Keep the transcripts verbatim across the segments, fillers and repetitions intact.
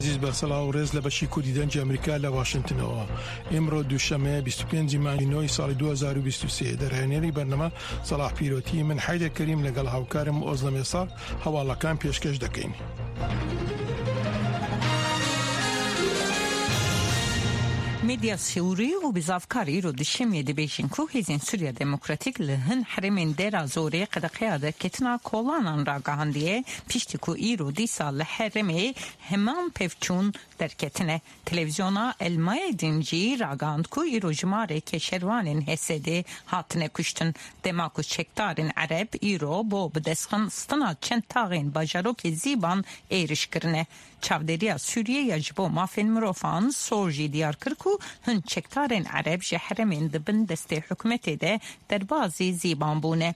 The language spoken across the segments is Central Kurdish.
ئازیز بە سڵاو و ڕێز لە بەشی کوردی دەنگی ئەمریکا لە واشنتنەوە. ئیمڕۆ دووشەممە بیست و پێنج ی مانگی نۆ ی ساڵی دوو هەزار و بیست و سێ. دەرهێنەری بەرنامە سەڵاح پیرۆتی، من حەیدەر کەریم لەگەڵ هاوکارم ئۆزڵەم ئێساق هەواڵەکان پێشکەش دەکەین. میدیا سوری و بزاڤکار îro duşemiyê dibêjin ku hêzên Sûriya Demokratîk li hin herêmên Dêra Zorê qedeqeya derketina kolanan ragihandiye piştî ku îro dîsa li herêmê heman pevçûn derketine. Televizyona El Mayedîn jî ragihand ku îro jimareke şervanên H S D hatine kuştin dema ku çekdarên Ereb îro bo bidestxistina çend taxên bajarokê Zîban êriş kirine. Çavdêriya Sûriyê ya ji bo mafên mirovan S O R jî diyar kir ku hin çekdarên Ereb ji herêmên di bin destê hikûmetê de derbazî Zîban bûne.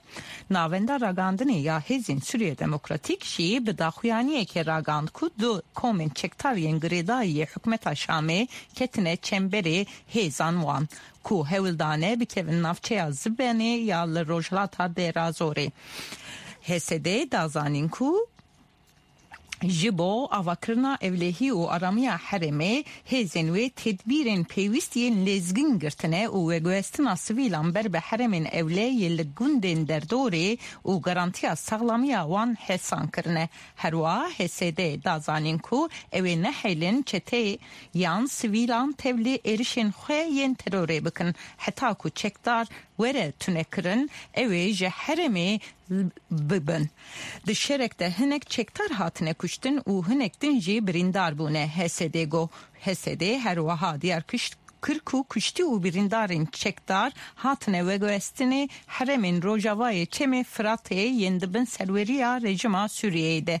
Navenda ragihandinê ya Hêzên Sûriya Demokratîk jî bi daxuyaniyekê ragihand ku du komên çekdar yên girêdayî hikûmeta Şamê ketine çemberê hêzan wan ku hewl dane bikevin navçeya Zibenê ya li rojhilata Dêra Zorê. H S D da zanîn ku ji bo avakirina ewlehî û aramiya herêmê hêzên wê tedbîrên pêwîst yên lezgîn girtine û veguhestina sivîlan ber bi herêmên ewle yên li gundên derdorê û garantiya saxlamiya wan hêsan kirine. Herwiha H S D da zanîn ku ew ê nehêlin çete yan sivîlan tevlî êrişên xwe yên terorê bikin heta ku çekdar were tunekirin ew ê ji herêmê bibin. Di şerek de hinek çekdar hatine kuştin û hinek din jî birîndar bûne H S D got. H S D herwiha diyar kir ku kuştî û birîndarên çekdar hatine veguhestinê herêmên rojavayê Çemê Firatê yên di bin serweriya rejîma Sûriyeyê de.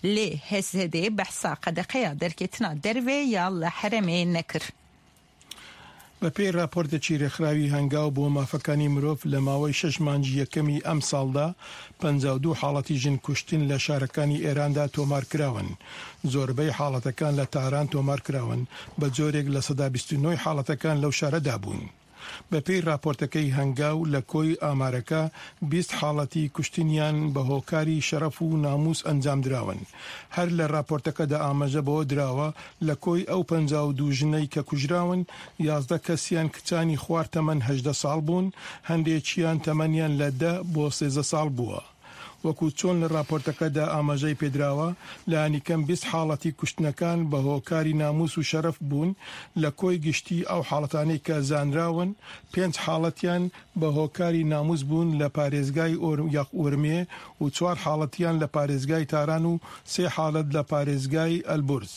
Lê H S D behsa qedeqeya derketina derve ya li herêmê nekir. بەپێی راپۆرتێکی رێکخراوی هەنگاو بۆ مافەکانی مرۆڤ لە ماوەی شەش مانگی یەکەمی ئەمساڵدا پەنجا و دوو حاڵەتی ژن کوشتن لە شارەکانی ئێراندا تۆمارکراون. زۆربەی حاڵەتەکان لە تاران تۆمارکراون، بە جۆرێک لە سەدا بیست و نۆ ی حاڵەتەکان لەو شارەدا بوون. بەپێی راپۆرتەکەی هەنگاو لە کۆی ئامارەکە بیست حاڵەتی کوشتنیان بە هۆکاری شەرەف و ناموس ئەنجامدراون. هەر لە راپۆرتەکەدا ئاماژە بەوە دراوە لە کۆی ئەو پەنجا و دوو ژنەی کە کوژراون یازدە کەسیان کچانی خوار تەمەن هەژدە ساڵ بوون، هەندێکیان تەمەنیان لە دە بۆ سێزدە ساڵ بووە. وەکو چۆن لە راپۆرتەکەدا ئاماژەی پێدراوە، لانیکەم بیست حاڵەتی کوشتنەکان بە هۆکاری ناموس و شەرەف بوون، لە کۆی گشتی ئەو حاڵەتانەی کە زانراون پێنج حاڵەتیان بە هۆکاری ناموس بوون لە پارێزگای ورمێ و چوار حاڵەتیان لە پارێزگای تاران و سێ حاڵەت لە پارێزگای ئەلبورز.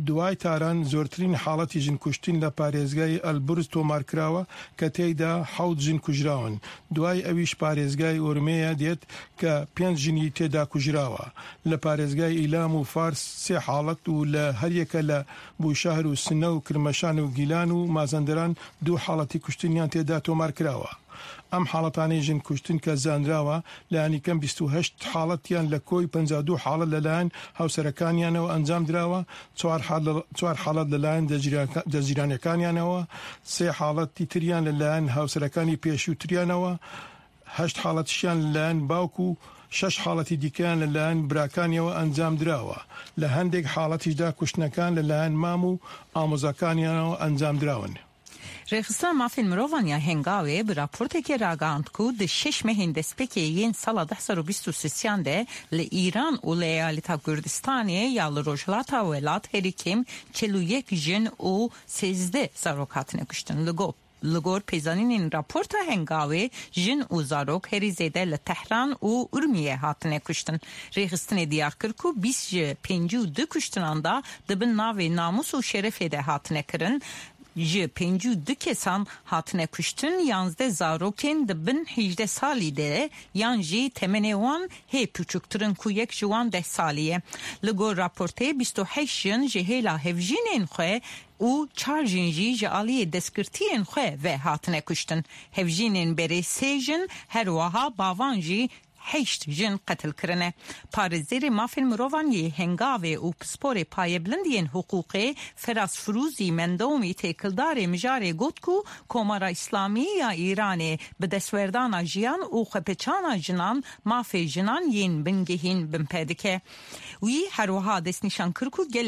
دوای تاران زۆرترین حاڵەتی ژن کوشتن لە پارێزگای ئەلبورز تۆمارکراوە کە تێیدا حەوت ژن کوژراون. دوای ئەویش پارێزگای ئورمێیە دێت کە پێنج ژنی تێدا کوژراوە. لە پارێزگای ئیلام و فارس سێ حاڵەت و لە هەریەکە لە بوشەهر و سنە و کرمەشان و گیلان و مازەندەران دوو حاڵەتی کوشتنیان تێدا تۆمارکراوە. ئەم حاڵەتانەی ژن کوشتن کە زانراوە لانیکەم بیست و هەشت حاڵەتیان لە کۆی پەنجا و دوو حاڵەت لەلایەن هاوسەرەکانیانەوە ئەنجامدراوە، چوار حاڵەت لەلایەن دەستگیرانەکانیانەوە، سێ حاڵەتی تریان لەلایەن هاوسەرەکانی پێشووتریانەوە، هەشت حاڵەتیشیان لەلایەن باوک و شەش حاڵەتی دیکەیان لەلایەن براکانیەوە ئەنجامدراوە. لە هەندێک حاڵەتیشدا کوشتنەکان لەلایەن مام و ئامۆزاکانیانەوە ئەنجامدراون. Rêxistina Mafên Mirovan ya Hengawê bi raportekê ragihand ku di şeş mehên destpêkê yên sala du hezar û bîst û sisiyan de li Îran û li Eyaleta Kurdistanê ya li Rojhilata welat herî kêm çel û yek jin û sêzdeh zarok hatine kuştin. Li gor Li gor pêzanînên raporta Hengawê jin û zarok herî zêde li Tehran û Urmiyê hatine kuştin. Rêxistinê diyar kir ku bîst ji pêncî û du kuştinan da di bin navê namûs û şerefê de hatine kirin. Ji pêncî û du kesan hatine kuştin yanzdeh zarokên di bin hejdeh salî de yan jî temenê wan hê piçûktirin ku yek ji wan deh salî ye. Li gor raportê bîst û heşt jin ji hêla hevjînên xwe û çar jin jî ji aliyê destgirtiyên xwe ve hatine kuştin. Hevjînên berê sê jin her wiha bavan jî heşt jin qetil kirine. Parêzerê mafên mirovan yê Hengawê û pisporê payebilind yên hiqûqê Feraz Firûzî Mendomî têkildarê mijarê got ku Komara Îslamî ya Îranê bi destwerdana jiyan û xwepeçana jinan mafê jinan yên bingehîn binpê dike. Wî her wiha destnîşan kir ku gelek